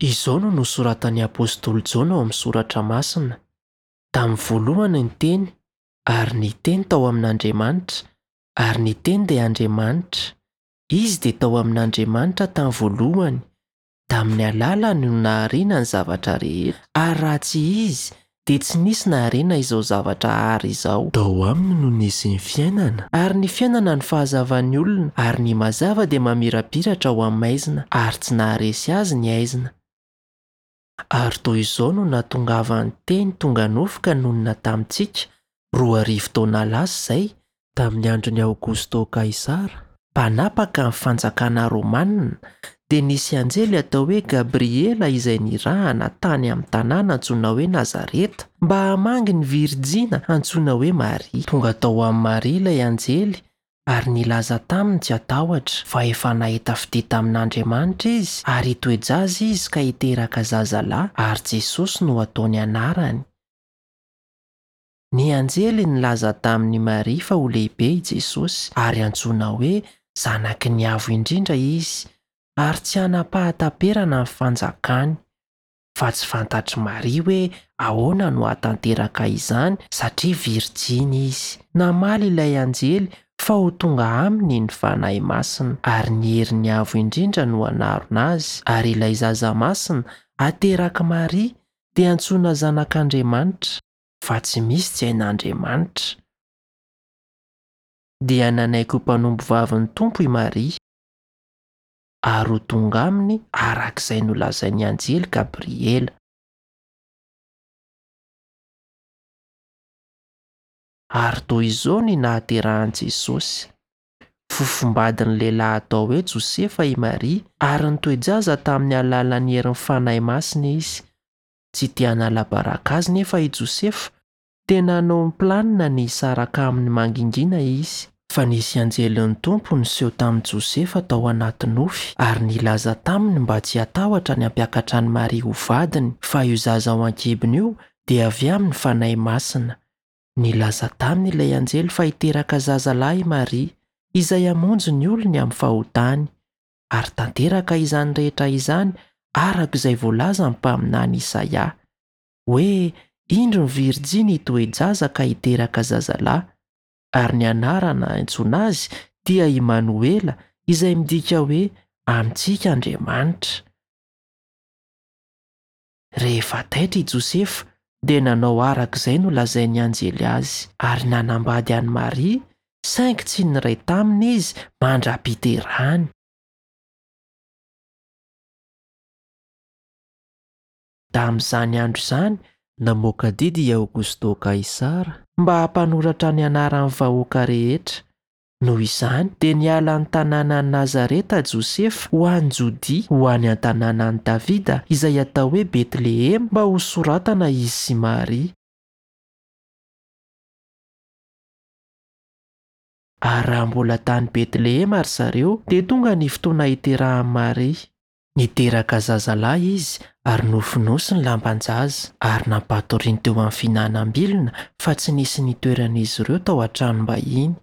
Izao no nosoratan'ny apostoly Jaona ao amin'ny Soratra Masina, Tamin'ny voalohany ny Teny, ary ny Teny tao amin'Andriamanitra, ary ny Teny dia Andriamanitra. Izy dia tao amin'Andriamanitra tamin'ny voalohany. Tamin'ny alalany no nahariana ny zavatra rehetra, ary raha tsy Izy, dia tsy nisy nahariana izao zavatra àry izao. Tao aminy no nisy ny fiainana. Ary ny fiainana no fahazavan'ny olona, ary ny mazava dia mamirapiratra ao amin'ny maizina, ary tsy naharesy azy ny haizina. Ary toy izao no nahatongavan'ny Teny tonga nofo ka nonina tamintsika, 2000 taona lasa izay, tamin'ny andron'i Aogosto Kaisara, mpanapaka ny fanjakana romanina, dia nisy anjely atao hoe Gabriela izay nirahana tany amin'ny tanàna antsoina hoe Nazareta, mba hamangy ny virijina antsoina hoe Maria. Tonga tao amin'i Maria ilay anjely ary nilaza taminy tsy hatahotra, fa efa nahita fitia tamin'Andriamanitra izy, ary hitoe-jaza izy ka hiteraka zazalahy, ary Jesosy no hataony anarany. Ny anjely nilaza tamin'i Maria fa ho lehibe i Jesosy, ary hantsoina hoe Zanaky ny Avo Indrindra izy, ary tsy hanam-pahataperana ny fanjakany. Fa tsy fantatr'i Maria hoe ahoana no hahatanteraka izany satria virjiny izy. Namaly ilay anjely fa ho tonga aminy ny Fanahy Masina, ary ny herin'ny Avo Indrindra no hanarona azy, ary ilay zaza masina haterak'i Maria dia hantsoina Zanak'Andriamanitra, fa tsy misy tsy hain'Andriamanitra. Dia nanaiky ho mpanompovavin'ny Tompo i Maria. ary ho tonga aminy araka izay nolazain'ny anjely Gabriela. Ary toy izao ny nahaterahan'i Jesosy. Fofombadin'ny lehilahy atao hoe Josefa i Maria, ary nitoe-jaza tamin'ny alalan'ny herin'ny Fanahy Masina izy. Tsy te hanala baraka azy nefa i Josefa, Dia nanao ny planina ny hisaraka aminy mangingina izy. Fa nisy anjelin'ny Tompo niseho tamin'i Josefa tao anaty nofy ary nilaza taminy mba tsy hatahotra ny hampiakatra an'i Maria ho vadiny, fa io zaza ao an-kibony io dia avy amin'ny Fanahy Masina. Nilaza taminy ilay anjely fa hiteraka zaza lahy i Maria, izay hamonjy ny olony amin'ny fahotany. Ary tanteraka izany rehetra izany araka izay voalazan'ny mpaminany Isaia. hoe, Indro ny virjiny hitoe-jaza ka hiteraka zazalahy, ary ny anarana antsoina azy dia Imanoela, izay midika hoe Amintsika Andriamanitra. Rehefa taitra i Josefa, dia nanao araka izay nolazain'ny anjely azy, ary nanambady an'i Maria, saingy tsy niray taminy izy mandra-piterahany. Tamin'izany andro izany, namoaka didy i Aogosto Kaisara mba hampanoratra ny anaran'ny vahoaka rehetra. Noho izany, dia niala ny tanànan'i Nazareta Josefa ho any Jodia, ho any an-tanànan'i Davida, izay atao hoe Betlehema, mba hosoratana izy sy Maria. Ary raha mbola tany Betlehema ry zareo, dia tonga ny fotoana hiterahan'i Maria. Niteraka zazalahy izy ary nofonosiny lamban-jaza ary nampatoriany teo amin'ny fihinanam-bilona fa tsy nisy nitoeran'izy ireo tao an-tranom-bahiny.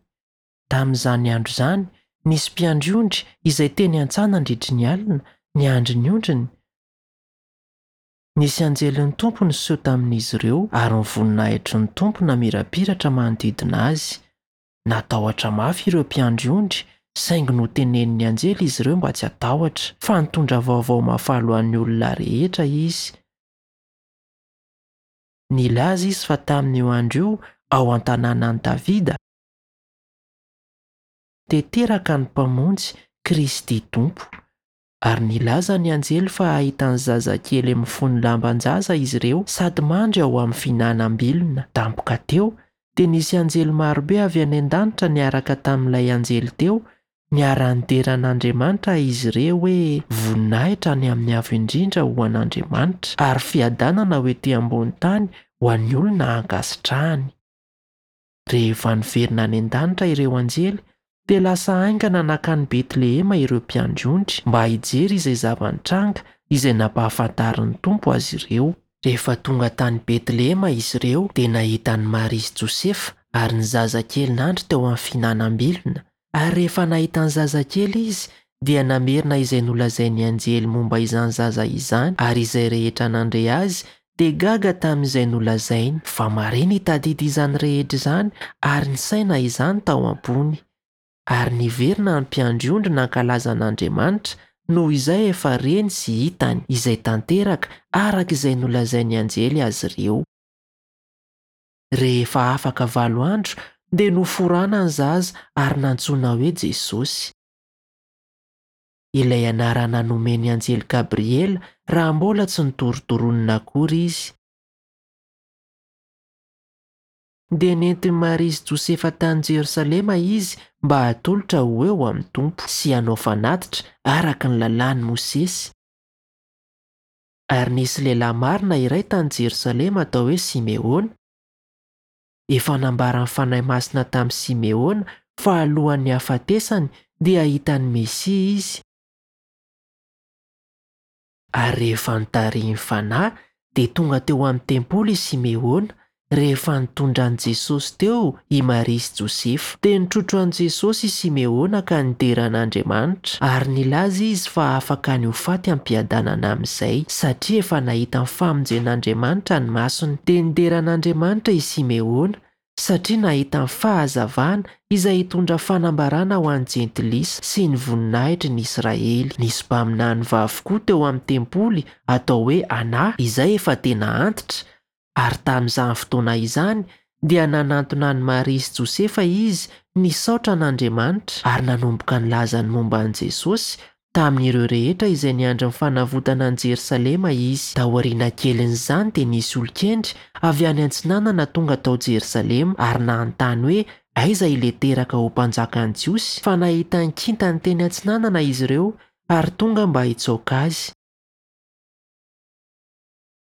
Tamin'izany andro izany, nisy mpiandry ondry izay teny an-tsaha nandritry ny alina, niandry ny ondriny. Nisy anjelin'ny Tompo niseho tamin'izy ireo ary ny voninahitry ny Tompo namirapiratra manodidina azy. Natahotra mafy ireo mpiandry ondry, saingy notenenin'ny anjely izy ireo mba tsy hatahotra, fa nitondra vaovao mahafaly ho an'ny olona rehetra izy. Nilaza izy fa tamin'io andro io, ao an-tanànan'i Davida, dia teraka ny Mpamonjy, Kristy Tompo. Ary nilaza ny anjely fa hahita ny zazakely mifono lamban-jaza izy ireo sady mandry ao amin'ny fihinanam-bilona. Tampoka teo, dia nisy anjely marobe avy any an-danitra niaraka tamin'ilay anjely teo, niara-nidera an'Andriamanitra izy ireo hoe, Voninahitra any amin'ny Avo Indrindra ho an'Andriamanitra, ary fiadanana ho ety ambony tany ho an'ny olona ankasitrahany. Rehefa niverina any an-danitra ireo anjely, dia lasa haingana nankany Betlehema ireo mpiandry ondry mba hijery izay zava-nitranga izay nampahafantarin'ny Tompo azy ireo. Rehefa tonga tany Betlehema izy ireo, dia nahita an'i Maria sy Josefa ary ny zazakely nandry teo amin'ny fihinanam-bilona. Ary rehefa nahita ny zazakely izy, dia namerina izay nolazain'ny anjely momba izany zaza izany, ary izay rehetra nandre azy dia gaga tamin'izay nolazainy. Fa Maria nitadidy izany rehetra izany ary nisaina izany tao am-pony. Ary niverina ny mpiandry ondry nankalaza an'Andriamanitra noho izay efa reny sy hitany, izay tanteraka araka izay nolazain'ny anjely azy ireo. Rehefa afaka 8 andro dia noforana ny zaza ary nantsoina hoe Jesosy. Ilay anarana nomen'ny anjely Gabriela raha mbola tsy nitorotoronina akory izy. Dia nentin'i Maria sy Josefa tany Jerosalema izy mba hatolotra ho eo amin'ny Tompo sy hanao fanatitra araka ny lalàn'i Mosesy. Ary nisy lehilahy marina iray tany Jerosalema atao hoe Simeona. Efa nambaran'ny Fanahy Masina tamin'i Simeona fa alohan'ny hahafatesany dia hahita ny Mesia izy. Ary rehefa notarihin'ny Fanahy dia tonga teo amin'ny tempoly i Simeona, rehefa nitondra an'i Jesosy teo i Maria sy Josefa. Dia nitrotro an'i Jesosy i Simeona ka nidera an'Andriamanitra, ary nilaza izy fa afaka ny ho faty am-piadanana amin'izay, satria efa nahita ny famonjen'Andriamanitra ny masony. Dia nidera an'Andriamanitra i Simeona, satria nahita ny fahazavana izay hitondra fanambarana ho an'ny Jentilisa sy ny voninahitry ny Israely. Nisy mpaminany vavy koa teo amin'ny tempoly atao hoe Ana, izay efa tena antitra, ary tamin'izany fotoana izany dia nanantona an'i Maria sy Josefa izy nisaotra an'Andriamanitra ary nanomboka nilaza ny momba an'i Jesosy tamin'ireo rehetra izay niandry ny fanavotana an'i Jerosalema izy. Taoriana kelin'izany dia nisy olon-kendry avy any antsinanana tonga tao Jerosalema ary nanontany hoe aiza ilay teraka ho mpanjakan'ny Jiosy, fa nahita ny kintany teny antsinanana izy ireo ary tonga mba hitsaoka azy.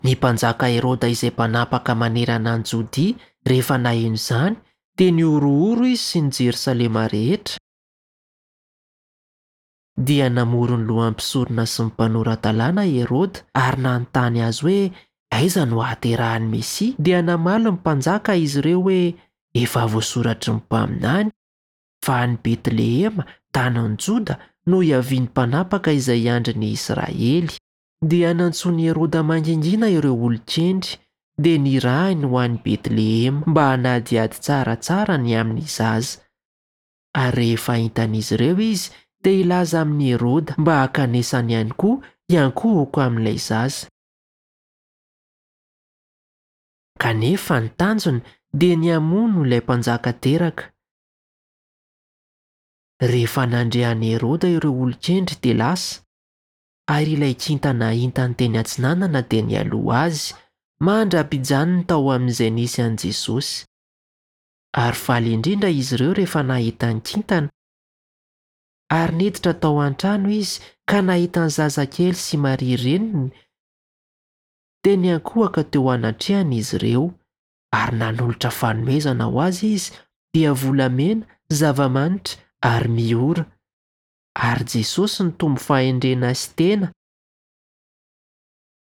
Ny mpanjaka Heroda izay mpanapaka manerana an'i Jodia rehefa naheno izany dia nihorohoro izy sy ny Jerosalema rehetra. Dia namory ny lohan'ny mpisorona sy ny mpanora-dalàna i Heroda ary nanontany azy hoe aiza no hahaterahan'ny Mesia. Dia namaly ny mpanjaka izy ireo hoe efa voasoratry ny mpaminany fa any Betlehema, tanin'i Joda, no hiavian'ny mpanapaka izay hiandry ny Israely. Dia nantsoin'i Heroda mangingina ireo olon-kendry, dia nirahiny ho any Betlehema mba hanadihady tsaratsara ny amin'ny zaza. Ary rehefa hitan'izy ireo izy, dia hilaza amin'i Heroda mba hankanesany ihany koa hiankohoka amin'ilay zaza. Kanefa ny tanjony dia ny hamono ilay mpanjaka teraka. Rehefa nandre an'i Heroda ireo olon-kendry dia lasa, ary ilay kintana hitany teny atsinanana dia nialoha azy, mandra-pijanony tao amin'izay nisy an'i Jesosy. Ary faly indrindra izy ireo rehefa nahita ny kintana. Ary niditra tao an-trano izy ka nahita ny zazakely sy Maria reniny, dia niankohoka teo anatrehany izy ireo, ary nanolotra fanomezana ho azy izy, dia volamena, zava-manitra ary miora. Ary Jesosy nitombo fahendrena sy tena,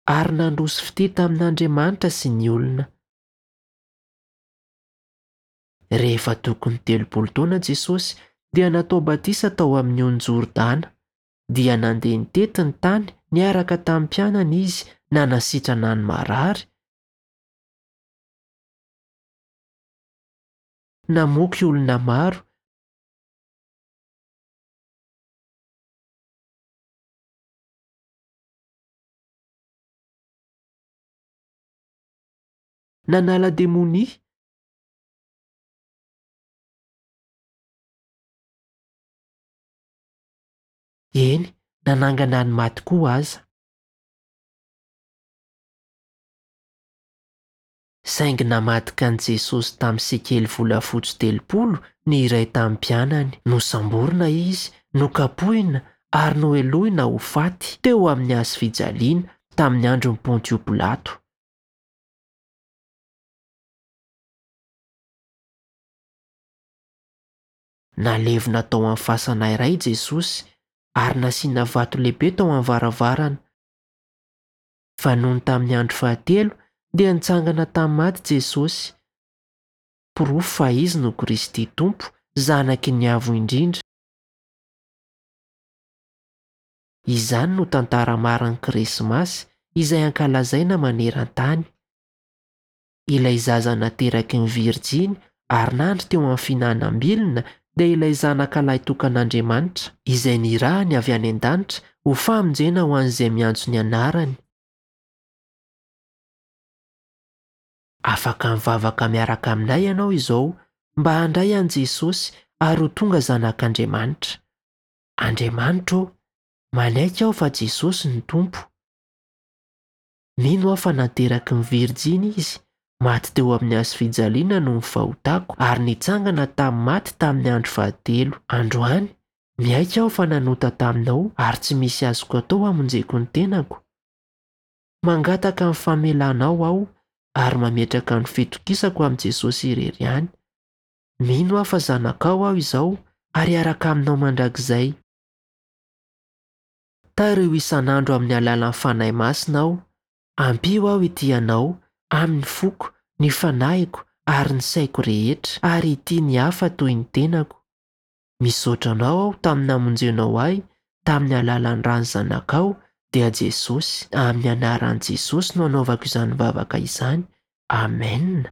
ary nandroso fitia tamin'Andriamanitra sy ny olona. Rehefa tokony 30 taona Jesosy dia natao batisa tao amin'ny ony Jordana, dia nandeha nitety ny tany niaraka tamin'ny mpianany izy nanasitrana ny marary, namoky olona maro, nanala demonia, eny, nanangana ny maty koa aza. Saingy namadika an'i Jesosy tamin'ny sekely volafotsy 30 ny iray tamin'ny mpianany. Nosamborina izy, nokapohina ary nohelohina ho faty teo amin'ny hazo fijaliana tamin'ny andron'i Pontio Pilato. Nalevina tao amin'ny fasana iray Jesosy ary nasiana vato lehibe tao amin'ny varavarana. Fa nony tamin'ny andro fahatelo dia nitsangana tamin'ny maty Jesosy, porofo fa Izy no Kristy Tompo, Zanaky ny Avo Indrindra. Izany no tantara marin'ny Krismasy izay ankalazaina maneran-tany. Ilay zaza nateraky ny Virjiny ary nandry teo amin'ny fihinanam-bilona dia ilay Zanaka Lahitokan'Andriamanitra, izay nirahany avy any an-danitra ho famonjena ho an'izay miantso ny anarany. Afaka mivavaka miaraka aminay ianao izao mba handray an'i Jesosy ary ho tonga zanak'Andriamanitra. Andriamanitra ô, manaiky aho fa Jesosy no Tompo. Mino aho fa nateraky ny Virjiny Izy, maty teo amin'ny hazofijaliana noho ny fahotako, ary nitsangana tamin'ny maty tamin'ny andro fahatelo. Androany, miaiky aho fa nanota taminao ary tsy misy azoko atao hamonjeko ny tenako. Mangataka ny famelanao aho ary mametraka ny fitokisako amin'i Jesosy irery ihany. Mino aho fa zanakao aho izao ary hiaraka aminao mandrakizay. Tariho isan'andro amin'ny alalan'ny Fanahy Masina aho. Ampio aho hitia Anao amin'ny foko, ny fanahiko ary ny saiko rehetra, ary hitia ny hafa toy ny tenako. Misaotra Anao aho tamin'ny namonjenao ahy tamin'ny alalan'ny ran'ny Zanakao, dia Jesosy. Amin'ny anaran'i Jesosy no anaovako izany vavaka izany. Amen.